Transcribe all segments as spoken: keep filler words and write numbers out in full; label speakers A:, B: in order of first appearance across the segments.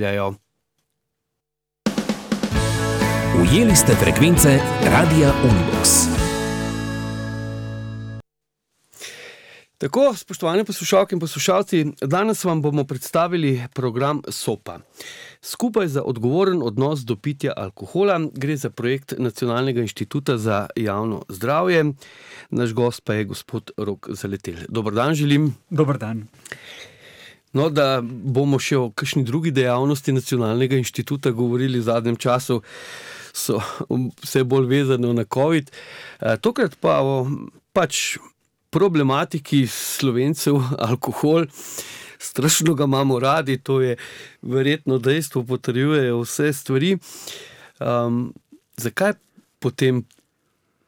A: Jajo.
B: Ujeli ste frekvence Radia Univox.
A: Tako, spoštovane poslušalke in poslušalci, danes vam bomo predstavili program SOPA. Skupaj za odgovoren odnos do pitja alkohola gre za projekt Nacionalnega inštituta za javno zdravje. Naš gost pa je gospod Rok Zaletelj. Dober dan želim.
C: Dober dan.
A: No, da bomo še o kakšni drugi dejavnosti Nacionalnega inštituta govorili v zadnjem času, so vse bolj vezano na COVID. Tokrat pa o pač problematiki Slovencev alkohol. Strašno ga imamo radi, to je verjetno dejstvo, potrjujejo vse stvari. Um, zakaj potem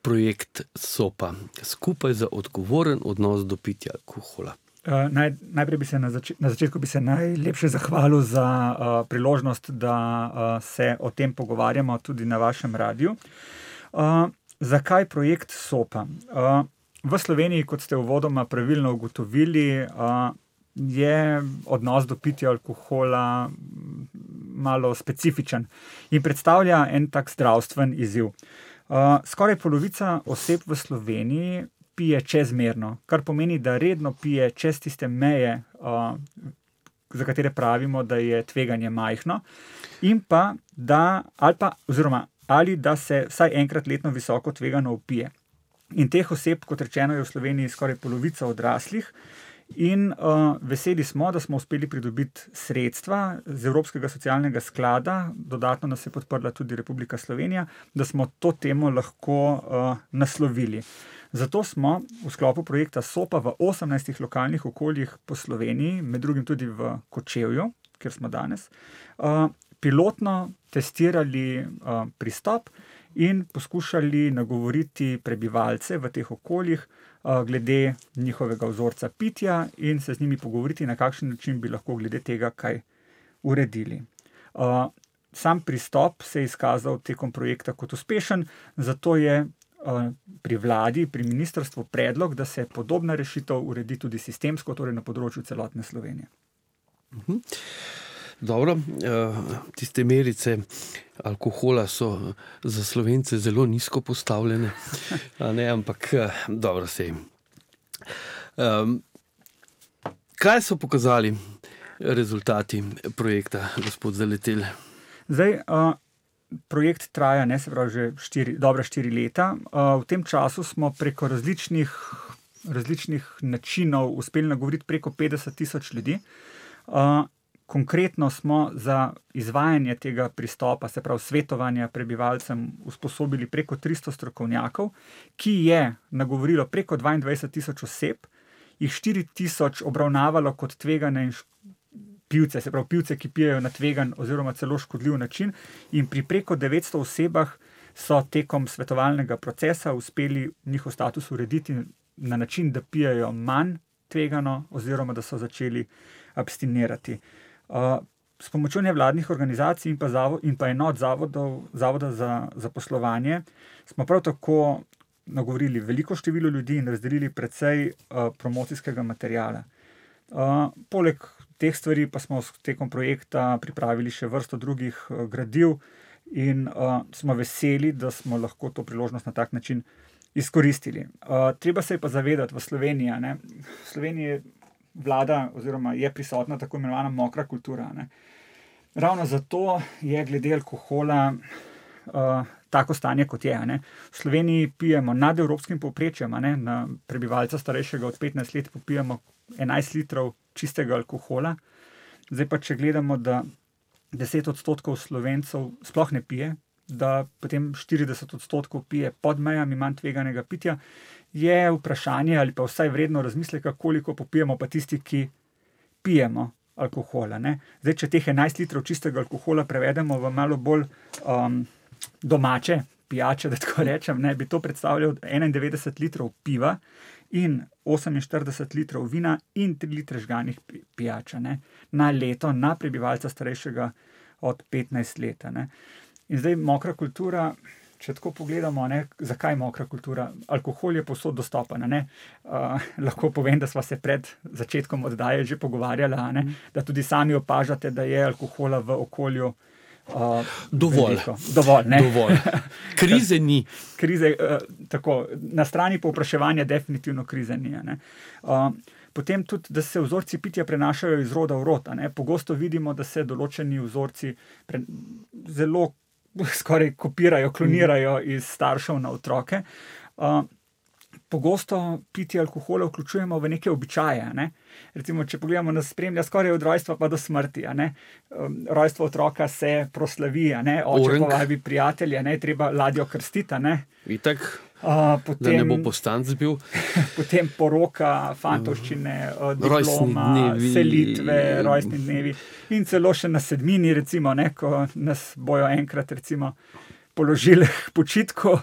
A: projekt SOPA? Skupaj za odgovoren odnos do pitja alkohola.
C: Uh, naj, najprej bi se na, zač- na začetku bi se najlepše zahvalil za uh, priložnost, da uh, se o tem pogovarjamo tudi na vašem radiju. Uh, zakaj projekt SOPA? Uh, v Sloveniji, kot ste uvodoma pravilno ugotovili, uh, je odnos do pitja alkohola malo specifičen in predstavlja en tak zdravstven izziv. Uh, skoraj polovica oseb v Sloveniji pije čezmerno, kar pomeni, da redno pije čez tiste meje, uh, za katere pravimo, da je tveganje majhno, in pa, da, ali pa, oziroma, ali da se vsaj enkrat letno visoko tvegano opije. In teh oseb, kot rečeno, je v Sloveniji skoraj polovica odraslih, in uh, veseli smo, da smo uspeli pridobiti sredstva z Evropskega socialnega sklada, dodatno nas je podprla tudi Republika Slovenija, da smo to temo lahko uh, naslovili. Zato smo v sklopu projekta SOPA v osemnajstih lokalnih okoljih po Sloveniji, med drugim tudi v Kočevju, kjer smo danes, uh, pilotno testirali uh, pristop in poskušali nagovoriti prebivalce v teh okoljih uh, glede njihovega vzorca pitja in se z njimi pogovoriti, na kakšen način bi lahko glede tega kaj uredili. Uh, sam pristop se je izkazal tekom projekta kot uspešen, zato je pri vladi, pri ministrstvu predlog, da se podobna rešitev uredi tudi sistemsko, torej na področju celotne Slovenije.
A: Mhm. Dobro, tiste merice alkohola so za Slovence zelo nizko postavljene, a ne, ampak dobro sej. Um, kaj so pokazali rezultati projekta, gospod Zaletelj?
C: Zdaj, uh, projekt traja, ne, se pravi, že štiri, dobra štiri leta. Uh, v tem času smo preko različnih, različnih načinov uspeli nagovoriti preko petdeset tisoč ljudi. Uh, konkretno smo za izvajanje tega pristopa, se pravi svetovanja prebivalcem, usposobili preko tristo strokovnjakov, ki je nagovorilo preko dvaindvajset tisoč oseb, jih štiri tisoč obravnavalo kot tvegane in pivce, se pravi pivce, ki pijejo na tvegan oziroma celo škodljiv način, in pri preko devetsto osebah so tekom svetovalnega procesa uspeli njihov status urediti na način, da pijejo manj tvegano oziroma da so začeli abstinirati. Uh, s pomočjo nevladnih organizacij in pa, zavod, in pa enot zavodov, Zavoda za zaposlovanje smo prav tako nagovorili veliko število ljudi in razdelili precej uh, promocijskega materiala. Uh, poleg teh stvari pa smo tekom projekta pripravili še vrsto drugih uh, gradiv in uh, smo veseli, da smo lahko to priložnost na tak način izkoristili. Uh, treba se je pa zavedati v Sloveniji, ne? V Sloveniji vlada oziroma je prisotna tako imenovana mokra kultura. Ne? Ravno zato je glede alkohola uh, tako stanje, kot je. Ne? V Sloveniji pijemo nad evropskim povprečjem, ne? Na prebivalca starejšega od petnajst let popijemo enajst litrov čistega alkohola. Zdaj pa, če gledamo, da deset odstotkov Slovencev sploh ne pije, da potem štirideset odstotkov pije pod mejami manj tveganega pitja, je vprašanje ali pa vsaj vredno razmisleka, koliko popijemo pa tisti, ki pijemo alkohola. Ne? Zdaj, če teh enajst litrov čistega alkohola prevedemo v malo bolj um, domače pijače, da tako rečem, ne, bi to predstavljal enaindevetdeset litrov piva in oseminštirideset litrov vina in tri litre žganih pijača, ne, na leto, na prebivalca starejšega od petnajst let. Ne. In zdaj mokra kultura, če tako pogledamo, ne, zakaj mokra kultura? Alkohol je povsod dostopen. Ne? Uh, lahko povem, da sva se pred začetkom oddaje že pogovarjala, ne? Da tudi sami opažate, da je alkohola v okolju uh,
A: dovolj.
C: Veliko. Dovolj, ne?
A: Dovolj. Krize ni.
C: Krize, uh, tako, na strani povpraševanja definitivno krize ni. Ne? Uh, Potem tudi, da se vzorci pitja prenašajo iz roda v rod. Pogosto vidimo, da se določeni vzorci pre, zelo skoraj kopirajo, klonirajo iz staršev na otroke. Uh, pogosto pitje alkohola vključujemo v neke običaje. Ne? Recimo, če pogledamo, nas spremlja skoraj od rojstva pa do smrti. Um, rojstvo otroka se proslavi, oče povabi prijatelje, ne? Treba ladjo krstiti.
A: Itak.
C: Uh, potem,
A: da ne bo postanc bil.
C: Potem poroka, fantovščine, uh, diploma, selitve, rojstni dnevi in celo še na sedmini, recimo, ne, ko nas bojo enkrat recimo, položili k počitku,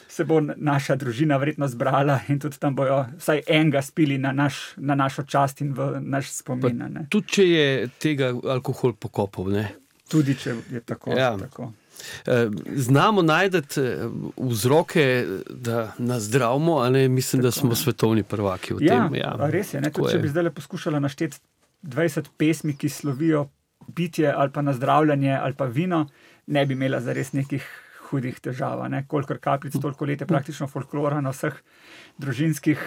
C: se bo naša družina verjetno zbrala in tudi tam bojo vsaj enega spili na, naš, na našo čast in v naš spomin. Ne.
A: Tudi če je tega alkohol pokopal. Ne?
C: Tudi če je tako.
A: Ja.
C: tako.
A: Znamo najdeti vzroke, da nas zdravimo, a ne mislim, tako, da smo ne. Svetovni prvaki v
C: ja,
A: tem. Ja,
C: res je. Ne? Tudi, če bi zdaj poskušala našteti dvajset pesmi, ki slovijo pitje ali pa nazdravljanje ali pa vino, ne bi imela zares nekih hudih težav. Ne? Kolikor kapljic, toliko let je praktično folklora na vseh družinskih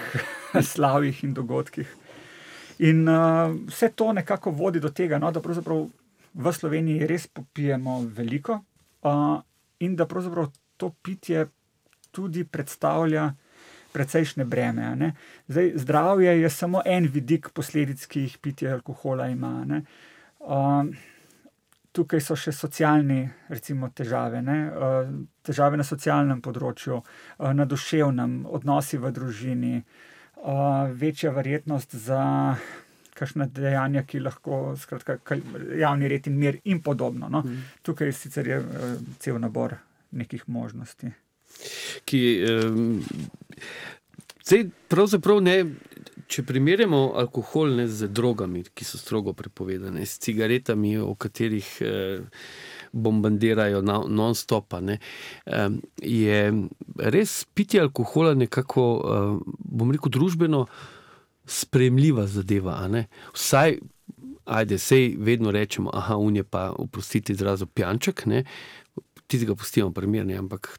C: slavjih in dogodkih. In uh, vse to nekako vodi do tega, no, da pravzaprav v Sloveniji res popijemo veliko. Uh, in da pravzaprav to pitje tudi predstavlja precejšnje breme. Ne? Zdaj, zdravje je samo en vidik posledic, ki jih pitje alkohola ima. Ne? Uh, tukaj so še socialni, recimo, težave. Ne? Uh, težave na socialnem področju, uh, na duševnem, odnosi v družini, uh, večja verjetnost za kakšna dejanja, ki lahko, skratka, javni red in mir in podobno. No? Mm. Tukaj sicer je uh, cel nabor nekih možnosti.
A: Ki, um, zdaj, pravzaprav ne, če primerjamo alkohol ne z drogami, ki so strogo prepovedane, s cigaretami, o katerih eh, bombardirajo non-stopa, ne, um, je res pitje alkohola nekako, um, bom rekel, družbeno sprejemljiva zadeva, a ne? Vsaj, ajde, sej vedno rečemo, aha, on je pa, oprostite izrazu, pijanček, ne? Tistega pustimo primer, ne? Ampak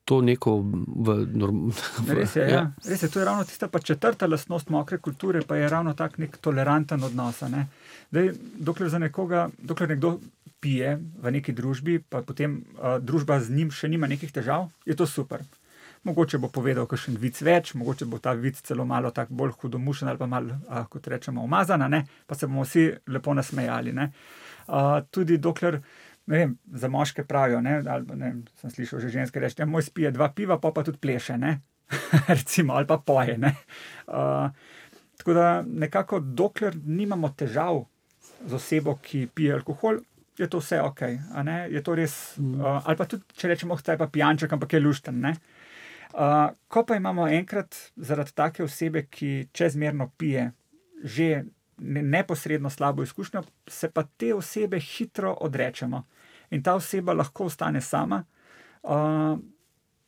A: to neko v... Norm...
C: Res je, ja. Res je, to je ravno tista pa četrta lastnost mokre kulture, pa je ravno tak nek toleranten odnos, ne? Dej, dokler za nekoga, dokler nekdo pije v neki družbi, pa potem uh, družba z njim še nima nekih težav, je to super. Mogoče bo povedal kakšen vic več, mogoče bo ta vic celo malo tak bolj hudomušen ali pa malo, a, kot rečemo, umazana, ne? Pa se bomo vsi lepo nasmejali. Ne? A, tudi dokler, ne vem, za moške pravijo, ne? Ali, ne, sem slišal že ženske reči, moj spije dva piva, pa pa tudi pleše, ne? Recimo, ali pa poje. Ne? A, tako da nekako dokler nimamo težav z osebo, ki pije alkohol, je to vse ok. A ne? Je to res, mm. a, ali pa tudi, če rečemo, oh, taj pa pijanček, ampak je lušten, ne? Uh, ko pa imamo enkrat zaradi take osebe, ki čezmerno pije, že ne, neposredno slabo izkušnjo, se pa te osebe hitro odrečemo. In ta oseba lahko ostane sama, uh,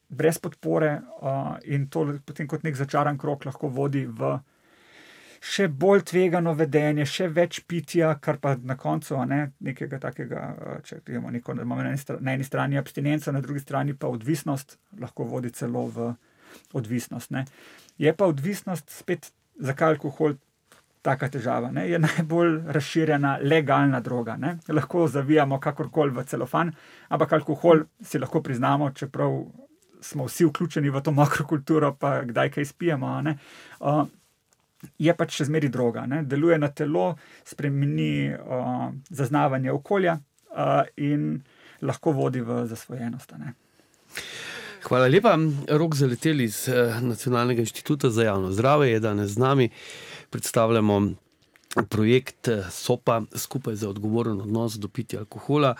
C: brez podpore uh, in to potem kot nek začaran krog lahko vodi v še bolj tvegano vedenje, še več pitja, kar pa na koncu ne, nekega takega, če imamo neko, da imamo na eni strani abstinenco, na drugi strani pa odvisnost, lahko vodi celo v odvisnost. Ne. Je pa odvisnost spet, zakaj alkohol taka težava, ne, je najbolj razširjena legalna droga. Ne. Lahko zavijamo kakorkoli v celofan, ampak alkohol si lahko priznamo, čeprav smo vsi vključeni v to mokro kulturo, pa kdaj kaj spijemo, ne. Uh, je pač še zmeri droga, ne? Deluje na telo, spremeni uh, zaznavanje okolja uh, in lahko vodi v zasvojenost. Ne?
A: Hvala lepa. Rok Zaletelj iz Nacionalnega inštituta za javno zdravje je danes z nami. Predstavljamo projekt SOPA, skupaj za odgovoren odnos do pitja alkohola.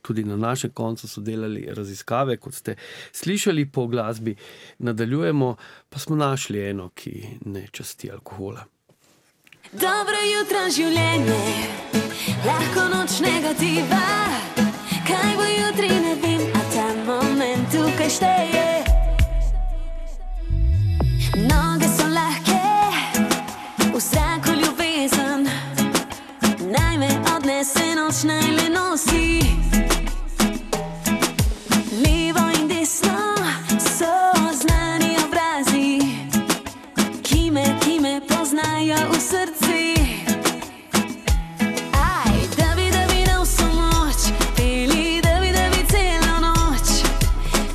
A: Tudi na našem koncu so delali raziskave, kot ste slišali po glasbi. Nadaljujemo, pa smo našli eno, ki ne časti alkohola.
D: Dobro jutro življenje, lahko noč negativa, kaj bo jutri ne vem, a ta moment tukaj kaj šteje. Noge so lahke, v zraku ljubezen, naj me odnese noč, naj le nosi. Levo in desno so znani obrazi, ki me, ki me poznajo v srci. Aj, da bi, da bi dal vso moč, peli, da bi, da bi celo noč,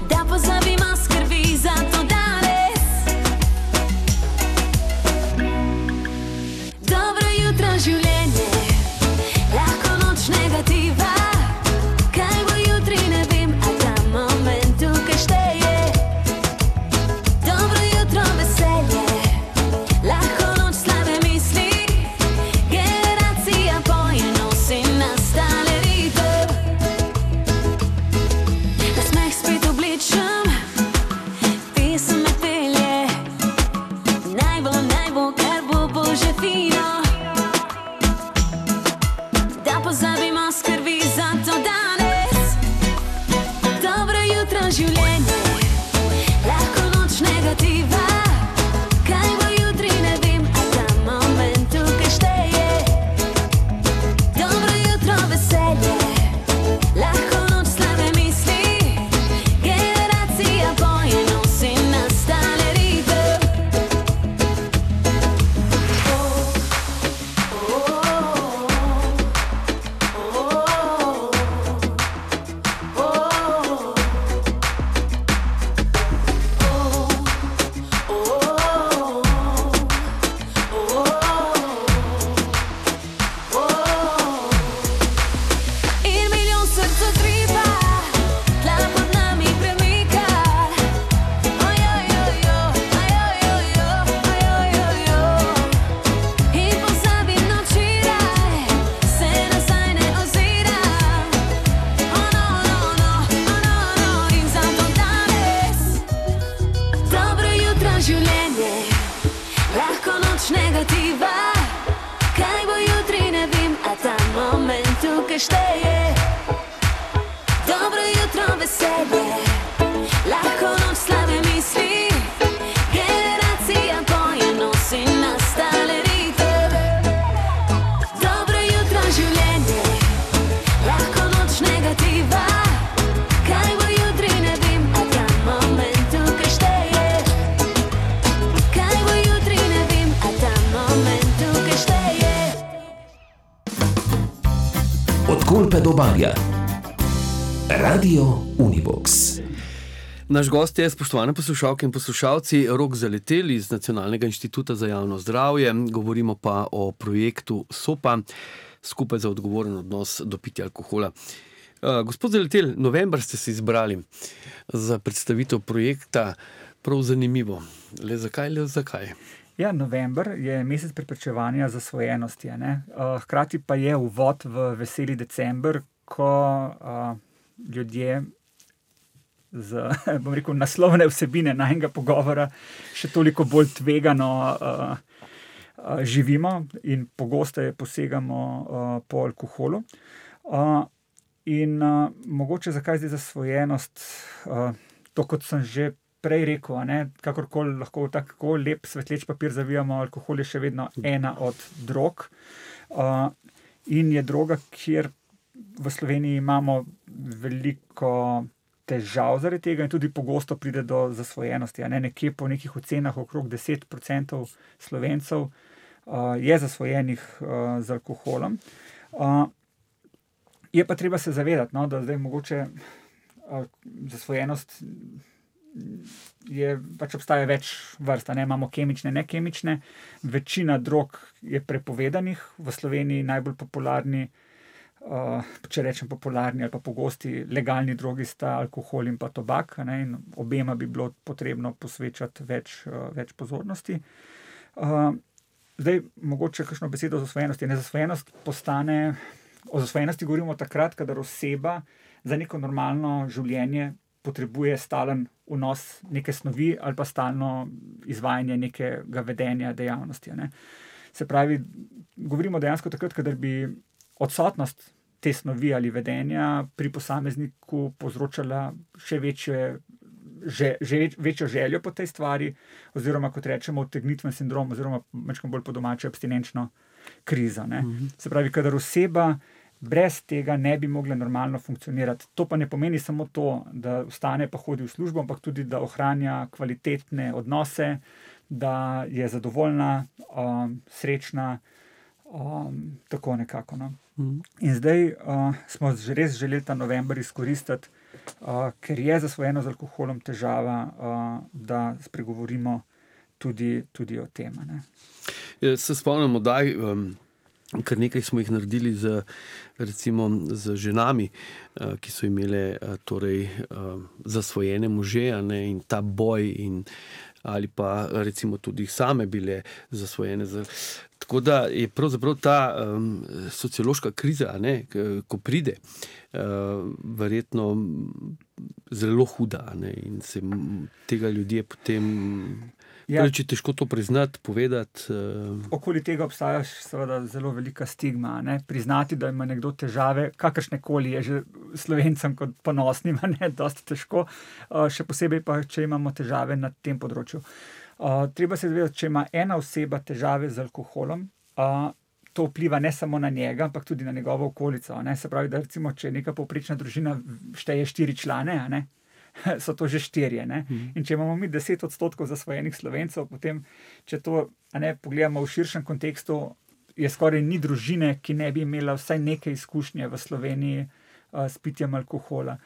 D: da pozabimo skrbi za to danes. Dobro jutro življenje, lahko noč negativa. Kaj bo jutri, ne vem, a ta moment tukaj šteje. Dobro jutro veselje, lahko noč slabe misli. Generacija poje, nosi nastale ritem. Nasmeh spet obličem, pesem me pelje. Naj bo, naj bo, kar bo, bo že fino. Da pozabimo skrbi za to danes. Dobro jutro življenje, lahko noč negativa. Kaj bo jutri, ne vem, a ta moment tukaj šteje. Dobro jutro veselje, lahko noč slabe misli. Generacija poje, nosi nastale ritem. In milijon src utripa, tla pod nami premika. Ojojojo, ojojojo, ojojojo. In pozabim na včeraj, se nazaj ne oziram. Oh no, no, no, oh no, no, in zato danes. Dobro jutro življenje, lahko noč negativa. Kaj bo jutri, ne vem, a ta moment tukaj šteje. Dobro jutro veselje, lahko noč slabe misli. Generacija poje, nosi nastale ritem. Dobro jutro življenje, lahko noč negativa. Kaj bo jutri, ne vem, a ta moment tukaj šteje. Kaj bo jutri, ne vem, a ta moment tukaj šteje.
B: Od Kolpe do Barja. Radio Unibox.
A: Naš gost je, spoštovane poslušalke in poslušalci, Rok Zaletel iz Nacionalnega inštituta za javno zdravje. Govorimo pa o projektu SOPA, skupaj za odgovoren odnos do pitja alkohola. Uh, gospod Zaletel, november ste se izbrali za predstavitev projekta. Prav zanimivo. Le zakaj, le zakaj?
C: Ja, november je mesec preprečevanja zasvojenosti, a ne. Uh, hkrati pa je uvod v veseli december, ko uh, ljudje z, bom rekel, naslovne vsebine najnega pogovora še toliko bolj tvegano uh, uh, živimo in pogosteje posegamo uh, po alkoholu. Uh, in uh, mogoče zakaj zdaj zasvojenost, uh, to kot sem že prej rekel, a ne, kakorkoli lahko tako lep svetleč papir zavijamo, alkohol je še vedno ena od drog. Uh, in je droga, kjer v Sloveniji imamo veliko težav zaradi tega in tudi pogosto pride do zasvojenosti. A ne, nekje po nekih ocenah okrog deset procentov Slovencev uh, je zasvojenih uh, z alkoholom. Uh, je pa treba se zavedati, no, da zdaj mogoče uh, zasvojenost je, pač obstaja več vrst, ne, imamo kemične, nekemične. Večina drog je prepovedanih, v Sloveniji najbolj popularni, uh, če rečem popularni ali pa pogosti legalni drogi sta alkohol in pa tobak, ne, in obema bi bilo potrebno posvečati več, uh, več pozornosti. Uh, zdaj, mogoče kakšno besedo o zasvojenosti. Nezasvojenost postane, o zasvojenosti govorimo takrat, kadar oseba za neko normalno življenje potrebuje stalen vnos neke snovi ali pa stalno izvajanje nekega vedenja, dejavnosti. Ne. Se pravi, govorimo dejansko takrat, kadar bi odsotnost te snovi ali vedenja pri posamezniku povzročala še večje že, že večjo željo po tej stvari, oziroma kot rečemo, odtegnitven sindrom, oziroma malo bolj po domače abstinenčno krizo. Ne. Mm-hmm. Se pravi, kadar oseba brez tega ne bi mogla normalno funkcionirati. To pa ne pomeni samo to, da vstane pa hodi v službo, ampak tudi, da ohranja kvalitetne odnose, da je zadovoljna, um, srečna, um, tako nekako. No. Mm. In zdaj uh, smo že res želeli ta november izkoristiti, uh, ker je zasvojeno z alkoholom težava, uh, da spregovorimo tudi, tudi o tem. Ne.
A: Se spomnimo, da um, kar nekaj smo jih naredili z, recimo, z ženami, uh, ki so imele uh, torej, uh, zasvojene može, ne, in ta boj, in, ali pa recimo tudi same bile zasvojene. Z, tako da je pravzaprav ta um, sociološka kriza, ne, ko pride, uh, verjetno zelo huda, ne, in se tega ljudje potem... Ja. Če težko to priznati, povedati. Uh...
C: Okoli tega obstaja seveda zelo velika stigma. Ne? Priznati, da ima nekdo težave, kakršnekoli je že Slovencem kot ponosnim, ne, dosti težko, uh, še posebej pa, če imamo težave na tem področju. Uh, treba se zavedati, če ima ena oseba težave z alkoholom, uh, to vpliva ne samo na njega, ampak tudi na njegovo okolico. Ne? Se pravi, da recimo, če neka povprečna družina šteje štiri člane, a ne? So to že štirje. Ne? Mm. In če imamo mi deset odstotkov zasvojenih Slovencev, potem, če to ne, pogledamo v širšem kontekstu, je skoraj ni družine, ki ne bi imela vsaj neke izkušnje v Sloveniji uh, s pitjem alkohola.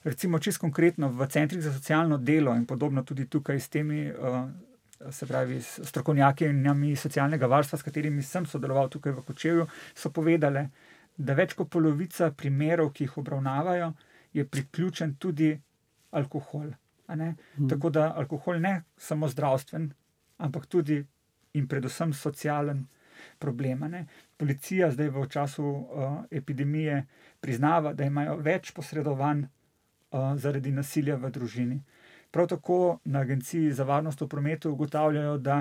C: Recimo, čisto konkretno, v centrih za socialno delo in podobno tudi tukaj s temi, uh, se pravi, strokovnjakinjami socialnega varstva, s katerimi sem sodeloval tukaj v Kočevju, so povedale, da več kot polovica primerov, ki jih obravnavajo, je priključen tudi alkohol. A ne? Hmm. Tako da alkohol ne samo zdravstven, ampak tudi in predvsem socialen problem. A ne? Policija zdaj v času uh, epidemije priznava, da imajo več posredovanj uh, zaradi nasilja v družini. Prav tako na Agenciji za varnost v prometu ugotavljajo, da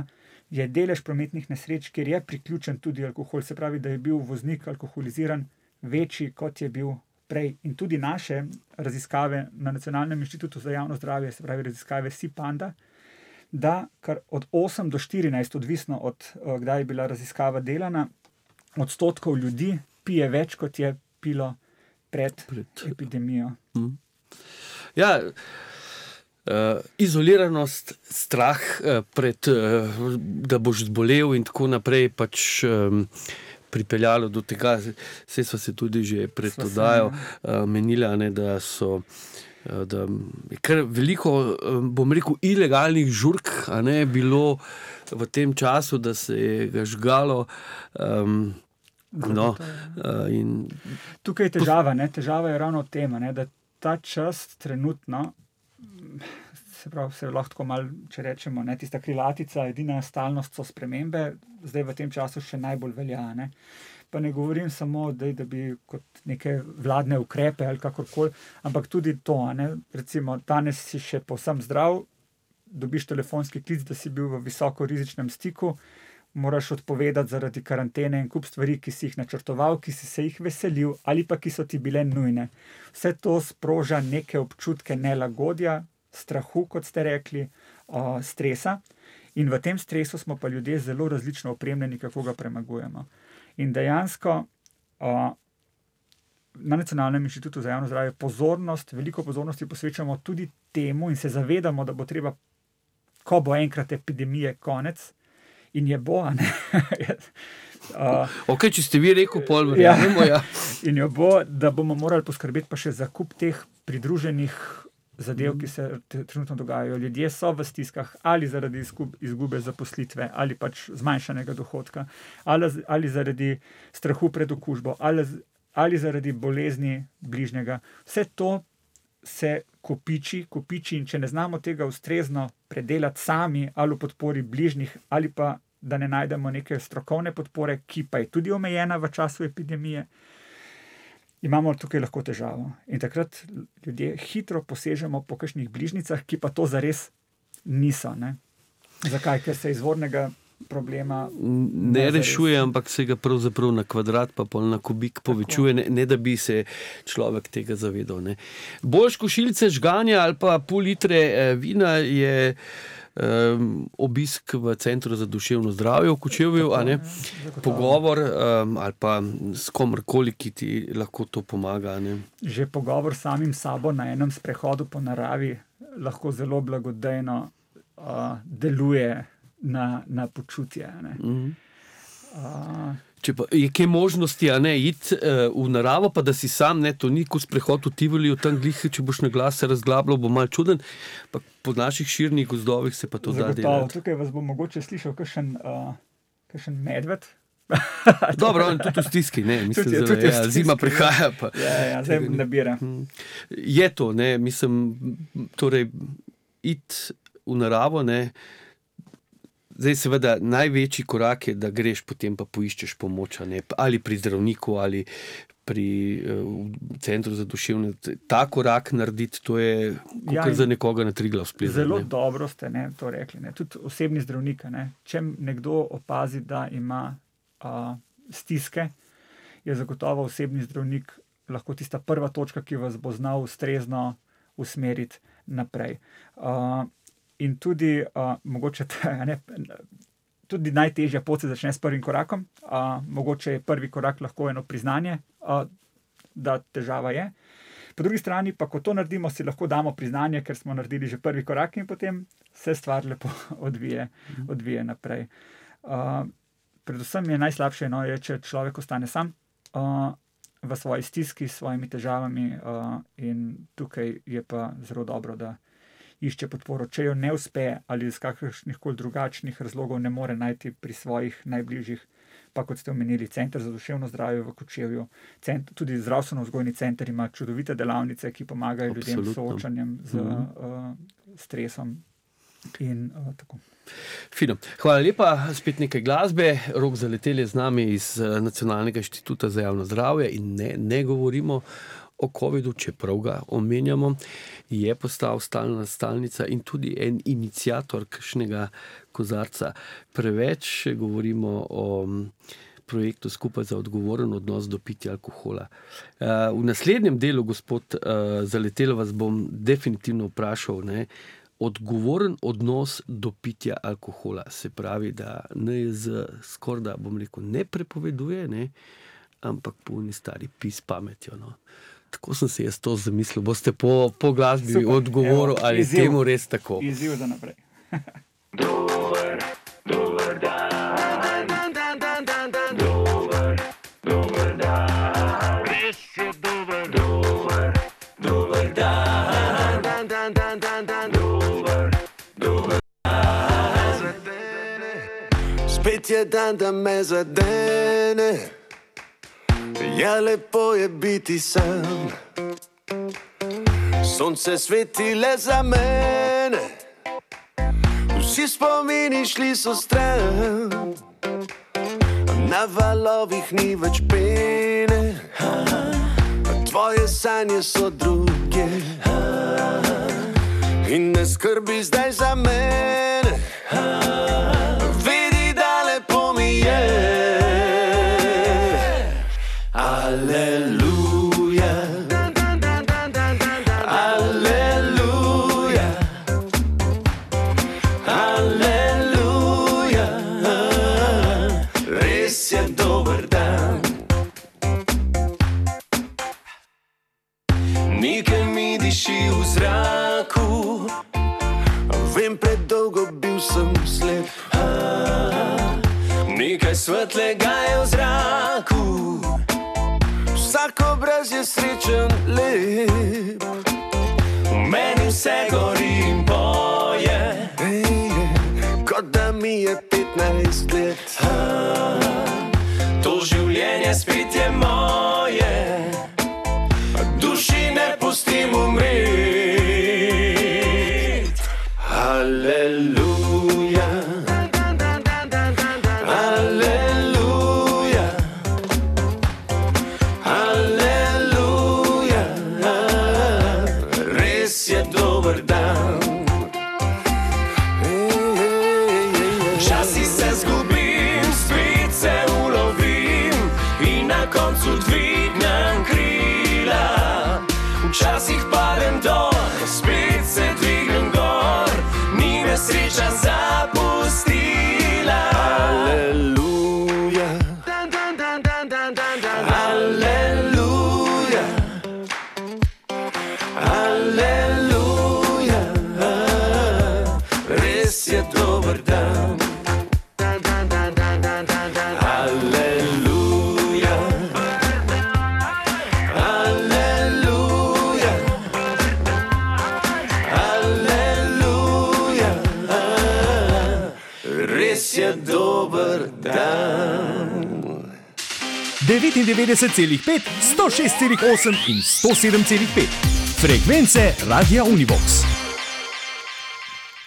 C: je delež prometnih nesreč, kjer je priključen tudi alkohol, se pravi, da je bil voznik alkoholiziran, večji, kot je bil prej. In tudi naše raziskave na Nacionalnem inštitutu za javno zdravje, se pravi raziskave SIPANDA, da kar od osem do štirinajst, odvisno od kdaj je bila raziskava delana, odstotkov ljudi pije več, kot je pilo pred, pred epidemijo.
A: Mm. Ja, uh, izoliranost, strah uh, pred, uh, da boš zbolel in tako naprej, pač um, pripeljalo do tega, vse so se tudi že pred oddajo uh, menila, ne, da so uh, da je kar veliko, uh, bom rekel, ilegalnih žurk, a ne, bilo v tem času, da se je ga žgalo. Um, no, uh, in...
C: Tukaj je težava, ne? Težava je ravno v tem, ne? Da ta čas trenutno, se pravi, se lahko malo, če rečemo, ne, tista krilatica, edina stalnost so spremembe, zdaj v tem času še najbolj velja. Ne. Pa ne govorim samo, da, da bi kot neke vladne ukrepe ali kakorkoli, ampak tudi to, ne. Recimo, danes si še povsem zdrav, dobiš telefonski klic, da si bil v visoko rizičnem stiku, moraš odpovedati zaradi karantene in kup stvari, ki si jih načrtoval, ki si se jih veselil ali pa ki so ti bile nujne. Vse to sproža neke občutke nelagodja, strahu, kot ste rekli, uh, stresa, in v tem stresu smo pa ljudje zelo različno opremljeni, kako ga premagujemo. In dejansko uh, na Nacionalnem inštitutu za javno zdravje pozornost, veliko pozornosti posvečamo tudi temu in se zavedamo, da bo treba, ko bo enkrat epidemije konec, in je bo, a ne? uh,
A: ok, če ste vi rekel, pol verjamemo, ja.
C: In jo bo, da bomo morali poskrbeti pa še za kup teh pridruženih zadev, ki se trenutno dogajajo. Ljudje so v stiskah ali zaradi izgube zaposlitve, ali pač zmanjšanega dohodka, ali, ali zaradi strahu pred okužbo, ali, ali zaradi bolezni bližnjega. Vse to se kopiči, kopiči in če ne znamo tega ustrezno predelati sami ali v podpori bližnjih, ali pa da ne najdemo neke strokovne podpore, ki pa je tudi omejena v času epidemije, imamo tukaj lahko težavo. In takrat ljudje hitro posežemo po kakšnih bližnjicah, ki pa to zares niso. Ne? Zakaj? Ker se izvornega problema
A: ne rešuje, ampak se ga pravzaprav na kvadrat pa pol na kubik povečuje, ne, ne da bi se človek tega zavedal. Ne. Boljš košilce žganja ali pa pol litre eh, vina je um, obisk v Centru za duševno zdravje v Kočevju, a ne, pogovor um, ali pa s komorkoli, ki ti lahko to pomaga. Ne.
C: Že pogovor s samim sabo na enem sprehodu po naravi lahko zelo blagodejno uh, deluje Na, na počutje. Ne. Mm. Uh,
A: Če pa je kaj možnosti, a ne, iti uh, v naravo, pa da si sam, ne, to ni kot sprehod v Tivoli, v tam glih, če boš na glas se razglabljal, bo malo čuden, pa po naših širnih gozdovih se pa to da delati.
C: Tukaj vas bo mogoče slišal kakšen, uh, kakšen medved.
A: Dobro, on tudi v stiski, ne, mislim,
C: tudi,
A: da
C: tudi
A: ja, zima prihaja. Pa,
C: ja, ja, zdaj nabira.
A: Je to, ne, mislim, torej, iti v naravo, ne, zdaj seveda največji korak je, da greš potem pa poiščeš pomoč, ne, ali pri zdravniku, ali pri uh, Centru za duševno. Ta korak narediti, to je
C: Ja,
A: kot za nekoga na Triglav splezati.
C: Zelo
A: ne.
C: dobro ste ne, to rekli. Ne. Tudi osebni zdravnik. Ne. Če nekdo opazi, da ima uh, stiske, je zagotovo osebni zdravnik lahko tista prva točka, ki vas bo znal ustrezno usmeriti naprej. Uh, In tudi, uh, mogoče te, ne, tudi najtežja pot se začne s prvim korakom. Uh, mogoče je prvi korak lahko eno priznanje, uh, da težava je. Po drugi strani pa, ko to naredimo, si lahko damo priznanje, ker smo naredili že prvi korak in potem se stvar lepo odvije, odvije naprej. Uh, predvsem je najslabše, no, je, če človek ostane sam uh, v svoji stiski, s svojimi težavami uh, in tukaj je pa zelo dobro, da išče podporo. Če jo ne uspe ali iz kakršnih koli drugačnih razlogov ne more najti pri svojih najbližjih, pa kot ste omenili, Center za duševno zdravje v Kočevju, cent, tudi zdravstveno-vzgojni center ima čudovite delavnice, ki pomagajo ljudem s soočanjem z uh, stresom in uh, tako.
A: Fino. Hvala lepa, spet nekaj glasbe. Rok Zaletelj je z nami iz Nacionalnega inštituta za javno zdravje in ne, ne govorimo o covidu, čeprav ga omenjamo, je postal stalna stalnica in tudi en iniciator kakšnega kozarca. Preveč govorimo o projektu Skupaj za odgovoren odnos do pitja alkohola. V naslednjem delu, gospod Zaletelj, vas bom definitivno vprašal, ne, odgovoren odnos do pitja alkohola. Se pravi, da N I Z skorda, bom rekel, ne prepoveduje, ne, ampak polni stari pis pametjo, no. Tako sem se jaz to zamislil. Boste po, po glasbi odgovoril, ali je temu res tako?
C: Izziv za naprej.
E: Dober, dober dan, dan, dan, dan, dan, dan, dober, dober dan, res je dober, dober, dober dan, dan, dan, dan, dan, dan, dober, dober dan, zadene, spet je dan, da me zadene. Ja, lepo je biti sam, sonce sveti le za mene, vsi spomini šli so stran, na valovih ni več pene, tvoje sanje so druge in ne skrbi zdaj za mene, vidi, da lepo mi je. Aleluja, aleluja, aleluja, res je dober dan. Nekaj mi diši v zraku, vem, predolgo bil sem slep, nekaj svetlega je v zraku, vsak obraz je srečen, lep, v meni vse gori in boje, kot da mi je petnajst let. To življenje spet je moje, duši ne pustim umret. Aleluja, aleluja, aleluja, res je dober dan. Časi se zgodi
F: včasih padem dol, spet se dvignem gor, ni me sreča zapustila. Aleluja, aleluja, aleluja, res je dober dan. Aleluja, aleluja, aleluja, res je dober dan.
G: devetindevetdeset celih pet, sto šest celih osem in sto sedem celih pet. Frekvence Radia Univox.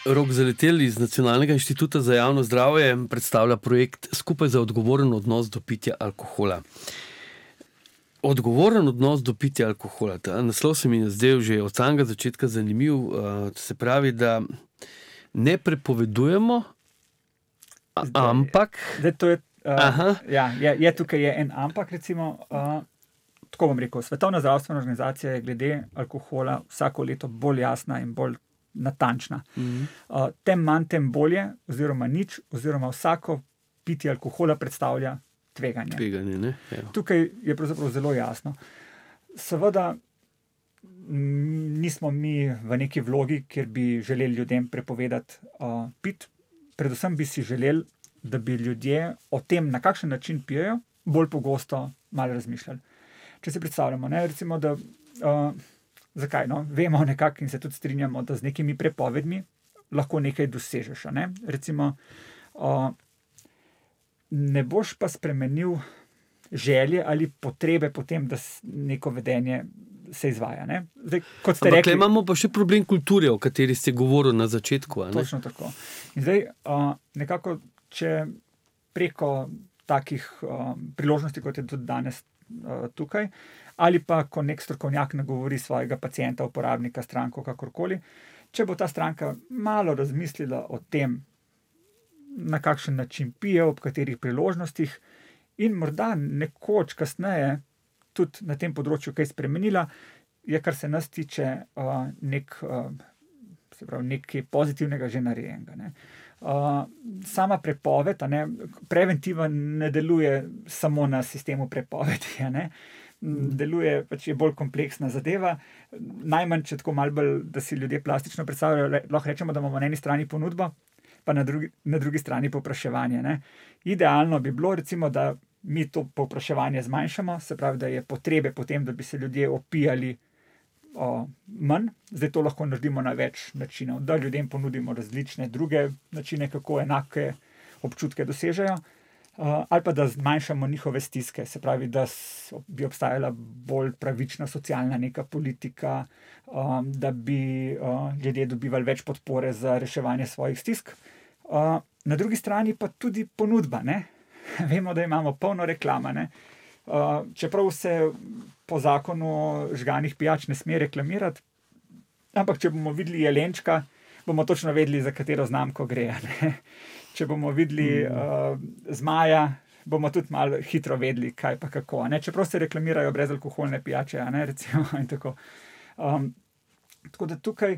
A: Rok Zaletel iz Nacionalnega inštituta za javno zdravje predstavlja projekt Skupaj za odgovoren odnos do pitja alkohola. Odgovoren odnos do pitja alkohola. Ta naslov se mi je zdel že od samega začetka zanimiv. Se pravi, da ne prepovedujemo, ampak...
C: Zdaj, to je,
A: Aha.
C: uh, ja, je, je tukaj je en ampak, recimo, uh, tako bom rekel, Svetovna zdravstvena organizacija je glede alkohola vsako leto bolj jasna in bolj natančna.
A: Mhm.
C: Uh, tem manj, tem bolje, oziroma nič, oziroma vsako pitje alkohola predstavlja tveganje.
A: Tveganje, ne? Evo.
C: Tukaj je pravzaprav zelo jasno. Seveda m, nismo mi v neki vlogi, kjer bi želeli ljudem prepovedati uh, pit. Predvsem bi si želeli, da bi ljudje o tem, na kakšen način pijejo, bolj pogosto malo razmišljali. Če si predstavljamo, ne, recimo, da uh, zakaj, no, vemo nekako in se tudi strinjamo, da z nekimi prepovedmi lahko nekaj dosežeš, a ne? Recimo, uh, ne boš pa spremenil želje ali potrebe potem, da neko vedenje se izvaja, ne? Zdaj, kot ste
A: Ampak
C: rekli,
A: le imamo pa še problem kulture, o kateri ste govorili na začetku. A ne?
C: točno tako. In zdaj, uh, nekako, če preko takih uh, priložnosti, kot je tudi danes uh, tukaj, ali pa ko nek strokovnjak nagovori svojega pacienta, uporabnika, stranko, kakorkoli, če bo ta stranka malo razmislila o tem, na kakšen način pije, ob katerih priložnostih, in morda nekoč kasneje tudi na tem področju kaj spremenila, je, kar se nas tiče, uh, nek, uh, se pravi, nekaj pozitivnega že narejenega. Ne. Uh, sama prepoved, a ne, preventiva ne deluje samo na sistemu prepovedi, a ne. Deluje, pač je bolj kompleksna zadeva. Najmanj, če tako malo bolj, da si ljudje plastično predstavljajo, le, lahko rečemo, da imamo na eni strani ponudbo, pa na drugi, na drugi strani povpraševanje. Ne. Idealno bi bilo, recimo, da mi to povpraševanje zmanjšamo, se pravi, da je potrebe potem, da bi se ljudje opijali o, manj. Zdaj to lahko naredimo na več načinov, da ljudem ponudimo različne druge načine, kako enake občutke dosežejo. Uh, ali pa da zmanjšamo njihove stiske, se pravi, da bi obstajala bolj pravična socialna neka politika, um, da bi uh, ljudje dobivali več podpore za reševanje svojih stisk. Uh, na drugi strani pa tudi ponudba. Ne? Vemo, da imamo polno reklama. Ne? Uh, čeprav se po zakonu žganih pijač ne sme reklamirati, ampak če bomo videli jelenčka, bomo točno vedeli, za katero znamko gre. Ne? Če bomo videli uh, zmaja, bomo tudi malo hitro vedeli, kaj pa kako. Ne? Čeprav se reklamirajo brezalkoholne pijače, a ne, recimo, in tako. Um, tako da tukaj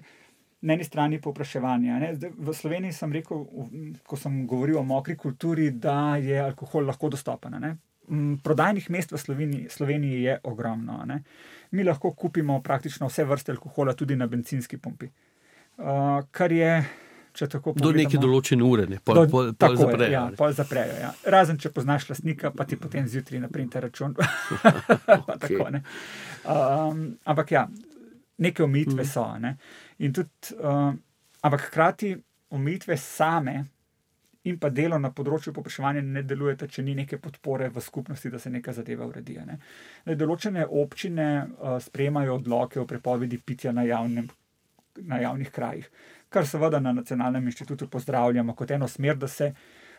C: na eni strani povpraševanje. Ne? Zdaj, v Sloveniji sem rekel, ko sem govoril o mokri kulturi, da je alkohol lahko dostopen. Ne? Prodajnih mest v Sloveniji, Sloveniji je ogromno. Ne? Mi lahko kupimo praktično vse vrste alkohola tudi na bencinski pumpi. Uh, kar je...
A: Do neke določene ure, ne, pol, pol, pol
C: tako
A: zaprejo.
C: Je, ja, pol zaprejo, ja. Razen, če poznaš lastnika, pa ti potem zjutraj naprinte račun.
A: Okay.
C: Tako, ne. Um, ampak ja, neke omejitve mm. so. Ne. In tudi, um, ampak hkrati omejitve same in pa delo na področju povpraševanja ne delujete, če ni neke podpore v skupnosti, da se neka zadeva uredi. Ne. Določene občine uh, sprejemajo odloke o prepovedi pitja na, javnem, na javnih krajih, kar seveda na Nacionalnem inštitutu pozdravljamo kot eno smer, da se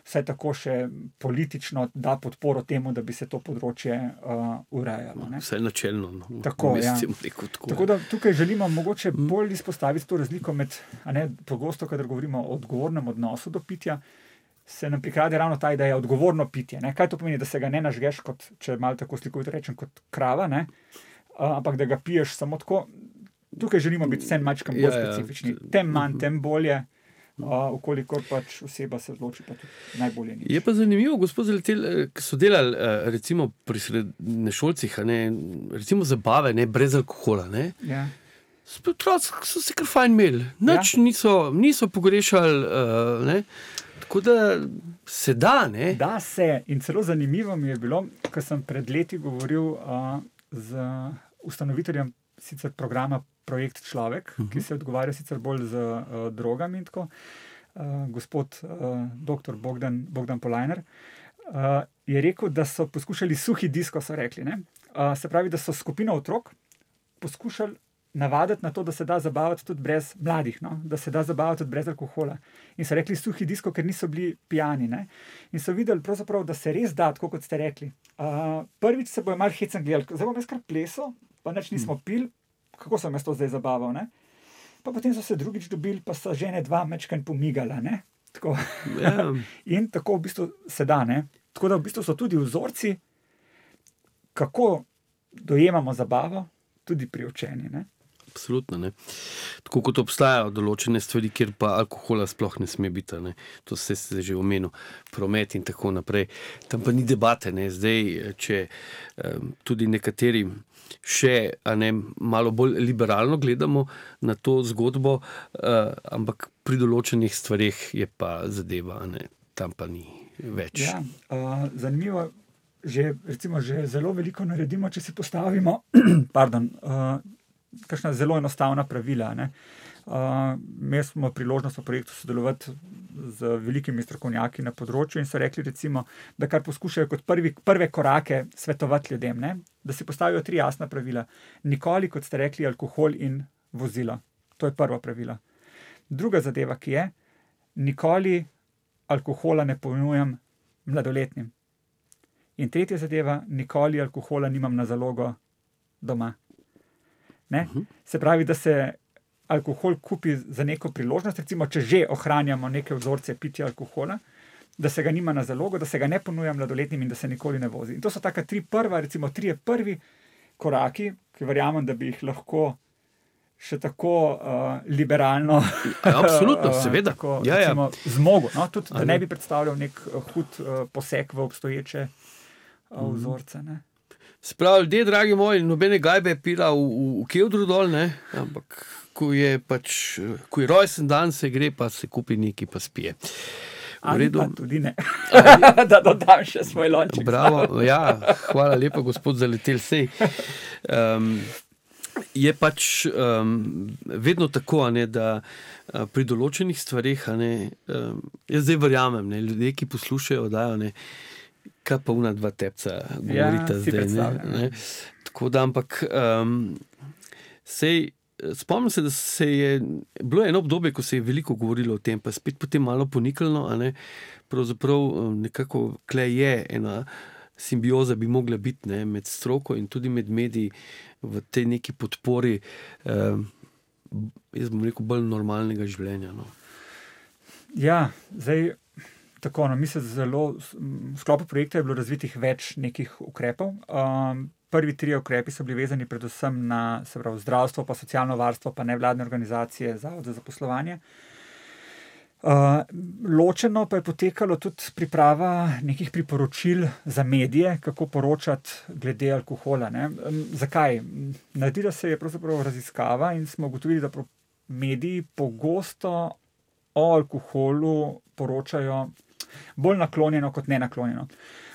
C: vsaj tako še politično da podporo temu, da bi se to področje uh, urejalo. Ne?
A: Vsaj načelno. No.
C: Tako, ja.
A: Tako, tako.
C: Tako da tukaj želimo mogoče bolj izpostaviti to razliko med, a ne, pogosto, kadar govorimo o odgovornem odnosu do pitja, se nam prikrade ravno ta ideja odgovorno pitje. Ne? Kaj to pomeni, da se ga ne nažgeš, kot, če malo tako slikovito rečem, kot krava, ne? Uh, ampak da ga piješ samo tako. tukaj želimo biti vse majčkam bolj
A: Ja, ja.
C: specifični. Tem manj, tem bolje. Uh, Ukolikor pač oseba se odloči, pa tudi najbolje nič.
A: Je pa zanimivo, gospod Zaletel, eh, ki so delali eh, recimo pri srednješolcih, a ne, recimo zabave, ne, brez alkohola. Ne.
C: Ja.
A: So otroci so se kar fajn imeli, nič ja. niso, niso pogrešali, uh, ne. Tako da se da, ne.
C: Da se, in celo zanimivo mi je bilo, ko sem pred leti govoril uh, z ustanoviteljem sicer programa Projekt Človek, uh -huh. ki se odgovarja sicer bolj z uh, drogami in tako, uh, gospod uh, doktor Bogdan, Bogdan Polajner, uh, je rekel, da so poskušali suhi disko, so rekli. Ne? Uh, se pravi, da so skupino otrok poskušali navaditi na to, da se da zabavati tudi brez mladih, no? Da se da zabavati tudi brez alkohola. In so rekli suhi disko, ker niso bili pijani. Ne? In so videli, da se res da, tako kot ste rekli. Uh, prvič se bojo malo hecen gledali, zdaj bom jaz kar plesal, pa nič nismo pili, kako sem jaz to zdaj zabaval. Ne? Pa potem so se drugič dobili, pa so žene dva mečkaj pomigala. Ne? Tako.
A: Ja.
C: In tako v bistvu se da. Ne? Tako da v bistvu so tudi vzorci, kako dojemamo zabavo, tudi pri učenju. Ne?
A: Absolutno. Ne. Tako kot obstajajo določene stvari, kjer pa alkohola sploh ne sme biti. Ne. To se je že omenil, promet in tako naprej. Tam pa ni debate. Ne. Zdaj, če um, tudi nekateri še a ne, malo bolj liberalno gledamo na to zgodbo, uh, ampak pri določenih stvareh je pa zadeva, a ne. Tam pa ni več.
C: Ja, uh, zanimivo, že, recimo, že zelo veliko naredimo, če si postavimo pardon, uh, kakšna zelo enostavna pravila. Ne? Uh, imeli smo priložnost v projektu sodelovati z velikimi strokovnjaki na področju in so rekli, recimo, da kar poskušajo kot prvi, prve korake svetovati ljudem, ne? Da si postavijo tri jasna pravila. Nikoli, kot ste rekli, alkohol in vozilo. To je prvo pravilo. Druga zadeva, ki je, nikoli alkohola ne ponujem mladoletnim. In tretja zadeva, nikoli alkohola nimam na zalogo doma. Ne? Uh-huh. Se pravi, da se alkohol kupi za neko priložnost, recimo, če že ohranjamo neke vzorce pitja alkohola, da se ga nima na zalogo, da se ga ne ponuja mladoletnim in da se nikoli ne vozi. In to so taka tri prva, recimo trije prvi koraki, ki verjamem, da bi jih lahko še tako uh, liberalno
A: Absolutno, seveda.
C: tako,
A: ja,
C: recimo,
A: ja.
C: zmogel. No? Tudi, da ne bi predstavljal nek uh, hud uh, poseg v obstoječe uh, vzorce. Ne?
A: Sprav, ljudje, dragi moji, nobene gajbe pila v, v, v Kevdru dol, ne? Ampak ko je pač, ko je rojsten dan, se gre, pa se kupi nekaj, pa spije.
C: Ali pa tudi ne. Da dodam še svoj lonček.
A: Bravo, ja, hvala lepa, gospod Zaletel. Sej, um, je pač um, vedno tako, a ne, da uh, pri določenih stvareh, a ne, um, jaz zdaj verjamem, ne, ljudje, ki poslušajo, dajo, ne, kaj pa una dva tepca govorita
C: Ja, si
A: zdaj. Ne, ne. Tako da, ampak um, sej, spomnim se, da se je bilo eno obdobje, ko se je veliko govorilo o tem, pa spet potem malo ponikalo, a ne, pravzaprav nekako kle je ena simbioza bi mogla biti, ne, med stroko in tudi med mediji v tej neki podpori, eh, jaz bom rekel, bolj normalnega življenja. No.
C: Ja, zdaj tako, no, mi se zelo, v sklopu projekta je bilo razvitih več nekih ukrepov. Um, Prvi tri ukrepi so bili vezani predvsem na, se pravi, zdravstvo, pa socialno varstvo, pa nevladne organizacije, zavod za zaposlovanje. Uh, ločeno pa je potekalo tudi priprava nekih priporočil za medije, kako poročati glede alkohola. Ne? Um, zakaj? Naredila se je pravzaprav raziskava in smo ugotovili, da mediji pogosto o alkoholu poročajo bolj naklonjeno kot nenaklonjeno.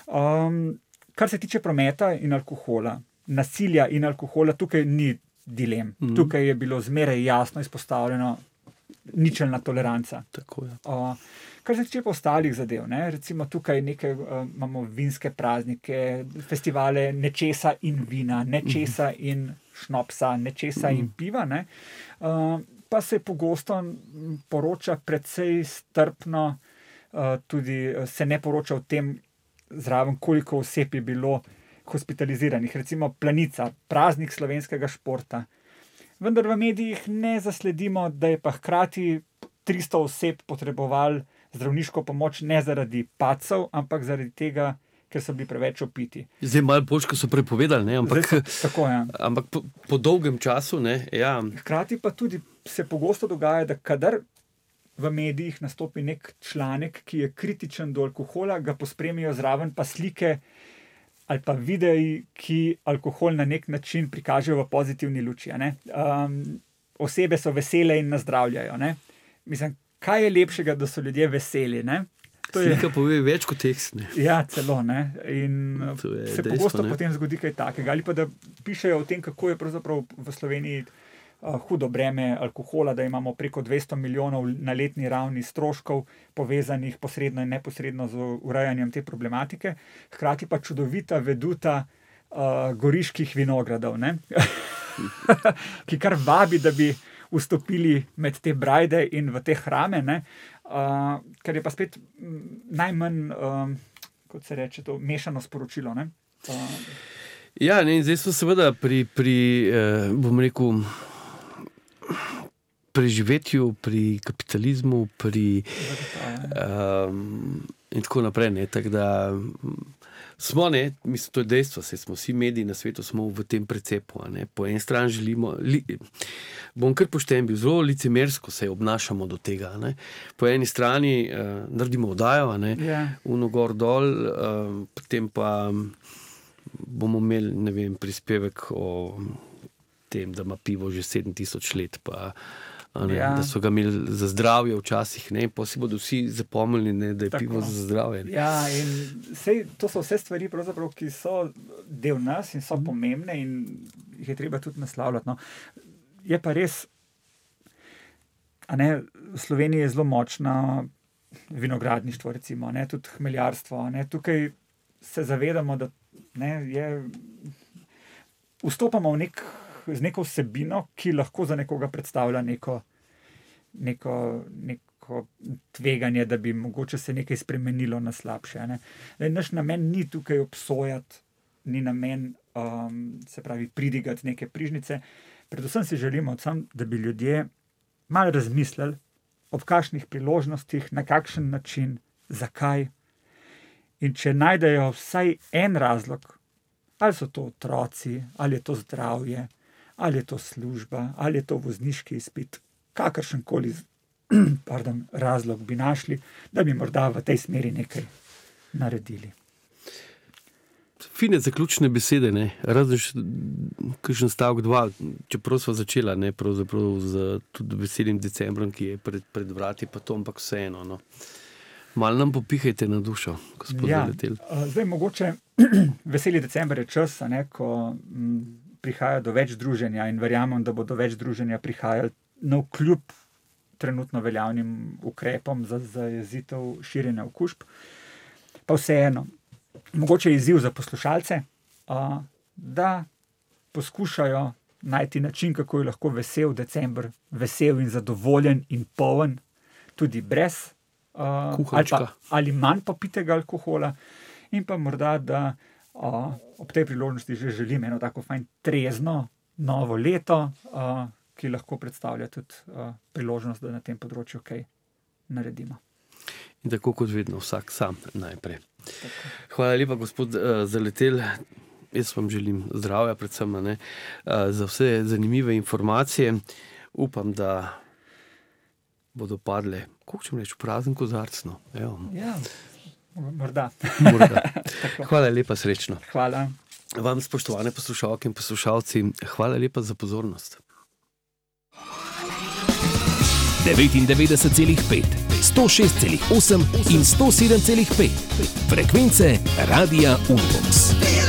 C: Um, Kar se tiče prometa in alkohola, nasilja in alkohola, tukaj ni dilem. Mm. Tukaj je bilo zmeraj jasno izpostavljeno ničelna toleranca.
A: Tako je.
C: Uh, kar se tiče pa ostalih zadev, ne? Recimo tukaj nekaj, uh, imamo vinske praznike, festivale nečesa in vina, nečesa mm. in šnopsa, nečesa mm. in piva. Ne? Uh, pa se pogosto poroča precej strpno, uh, tudi se ne poroča o tem, zraven koliko oseb je bilo hospitaliziranih. Recimo Planica, praznik slovenskega športa. Vendar v medijih ne zasledimo, da je pa hkrati tristo oseb potrebovali zdravniško pomoč ne zaradi padcev, ampak zaradi tega, ker so bili preveč opiti.
A: Zdaj malo bolj, ko so prepovedali, ne? Ampak,
C: Zdaj so, tako, ja.
A: ampak po, po dolgem času, ne, ja.
C: Hkrati pa tudi se pogosto dogaja, da kadar v medijih nastopi nek članek, ki je kritičen do alkohola, ga pospremijo zraven pa slike ali pa videi, ki alkohol na nek način prikažejo v pozitivni luči. Ne? Um, osebe so vesele in nazdravljajo. Ne? Mislim, kaj je lepšega, da so ljudje veseli, ne?
A: Slika pove več kot tekst. Ne?
C: Ja, celo. Ne? In se
A: dejstvo,
C: pogosto
A: ne?
C: potem zgodi kaj takega. Ali pa da pišejo o tem, kako je pravzaprav v Sloveniji uh, hudo breme alkohola, da imamo preko dvesto milijonov na letni ravni stroškov, povezanih posredno in neposredno z urejanjem te problematike. Hkrati pa čudovita veduta uh, goriških vinogradov, ne? ki kar vabi, da bi vstopili med te brajde in v te hrame, ne? Uh, kar je pa spet najmanj, uh, kot se reče, to mešano sporočilo. Ne? Uh,
A: ja, ne, in zdaj smo seveda pri, pri eh, bom rekel, preživetju, pri kapitalizmu, pri um, in tako naprej. Ne, tak da, smo, ne, mislim, to je dejstvo, saj smo vsi mediji na svetu smo v tem precepu. Ne. Po eni strani želimo, li, bom kar pošten bil, zelo licemersko se obnašamo do tega. Ne. Po eni strani uh, naredimo oddajo, ne,
C: yeah.
A: uno gor dol, uh, potem pa bomo imeli, ne vem, prispevek o tem, da ima pivo že sedem tisoč let, pa Ne, ja. Da so ga imeli za zdravje včasih, ne, pa si bodo vsi zapomnili, ne, da je Tako. pivo za zdravje. Ne.
C: Ja, in sej, to so vse stvari, ki so del nas in so mm. pomembne in jih je treba tudi naslavljati. No. Je pa res, a ne, v Sloveniji je zelo močna vinogradništvo, recimo, ne, tudi hmeljarstvo. Ne. Tukaj se zavedamo, da ne, je, vstopamo v nek z neko vsebino, ki lahko za nekoga predstavlja neko, neko, neko tveganje, da bi mogoče se nekaj spremenilo na slabše. Ne? Naš namen ni tukaj obsojati, ni namen um, se pravi pridigati neke prižnice. Predvsem si želimo, sam, da bi ljudje malo razmislili ob kakšnih priložnostih, na kakšen način, zakaj. In če najdejo vsaj en razlog, ali so to otroci, ali je to zdravje, ali je to služba, ali je to vozniški izpit, kakršenkoli pardon, razlog bi našli, da bi morda v tej smeri nekaj naredili.
A: Fine zaključne besede, ne, razen kakšen stavek dva, čeprav sva začela, ne, pravzaprav z tudi veselim decembrom, ki je pred, pred vrati, pa to, ampak vseeno, no. Malo nam popihajte na dušo, gospod
C: ja,
A: Zaletel.
C: Zdaj mogoče veseli december je čas, ne, ko m, prihaja do več druženja in verjamem, da bo do več druženja prihajali navkljub trenutno veljavnim ukrepom za zajezitev širjenja okužb. Pa vseeno, mogoče je izziv za poslušalce, a, da poskušajo najti način, kako je lahko vesel december, vesel in zadovoljen in poln, tudi brez Uh, ali, pa, ali manj popitega alkohola in pa morda, da uh, ob tej priložnosti že želim eno tako fajn trezno novo leto, uh, ki lahko predstavlja tudi uh, priložnost, da na tem področju kaj naredimo.
A: In tako kot vedno, vsak sam najprej. Tako. Hvala lepa, gospod uh, Zaletel. Jaz vam želim zdravja predvsem, ne, uh, za vse zanimive informacije. Upam, da bodo padle, kako ćem reči, prazen kozarc, no.
C: Ja, morda.
A: morda. Hvala lepa, srečno.
C: Hvala.
A: Vam, spoštovane poslušalke in poslušalci, hvala lepa za pozornost.
B: devetindevetdeset celih pet, sto šest celih osem in sto sedem celih pet. Frekvence Radia Univox.